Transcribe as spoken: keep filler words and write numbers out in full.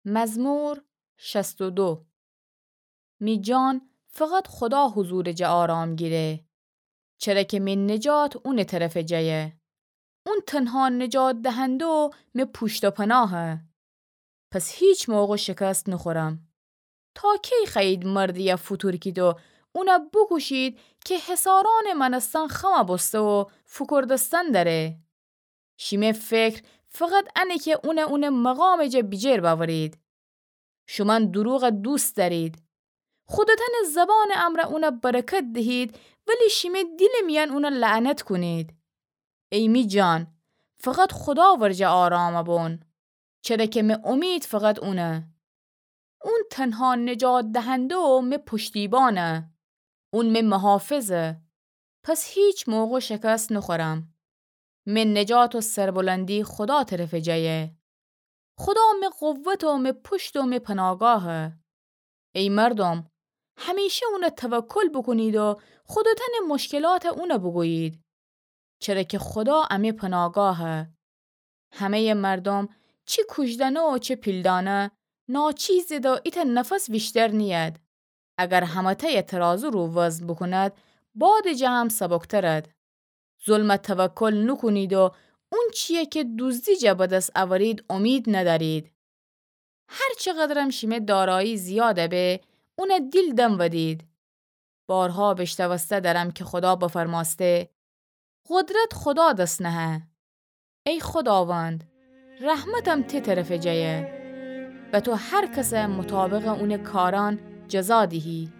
مزمور شصت و دو. می جان فقط خودا حضورٚ جا آرام گیره، چره که می نجات اونٚ طرفٚ جایه. اون تنها نجات دهنده و می پوشت و پناهه. پس هیچ موقع شکست نوخورم. تا کی خوأیید مردیی فوتورکید و اونه بوکوشید که حصارأنٚ مأنستن خم بوسته و فوکوردستن دأره؟ شیمه فکر فقط انه که اونه اونٚ مقامٚ جا بیجیر بأورید. شومأن دروغ دوست دأرید. خودتأنٚ زبانٚ امرأ اونه برکت دهید، ولی شیمه دیلٚ میأن اونه لعنت کونید. ای می جان، فقط خودا ورجه آرام بون، چره که می امید فقط اونه. اون تنها نجات دهنده و می پشتیبانه. اون می محافظه. پس هیچ موقع شکست نوخورم. می نجات و سربلندی خودا طرفٚ جایه. خودا می قوت و می پشت و می پناگاهه. ای مردم، همیشه اونه توکل بوکونید و خودتأنٚ مشکلات اونه بوگویید، چره که خودا امی پناگاهه. همه‌یٚ مردم، چی کوژدأنه و چی پیلدأنه، ناچیزید و ایتأ نفس ویشتر نیید. اگر همه‌تأیه ترازو رو وزن بوکوند، بادٚ جا هم سبکترد. ظلم توکل نوکونید و اونچیی که دوزدی جا به دس اورید امید ندأرید. هر چقدرم شیمه دارایی زیاد به، اونه دیل دم ودید. بارها بیشنوسته دأرم که خودا بفرمأسته: قدرت خودا دس نهه. ای خوداوند، رحمتم تی طرفٚ جایه و تو هر کس مطابقٚ اونٚ کارأن جزا دیهی.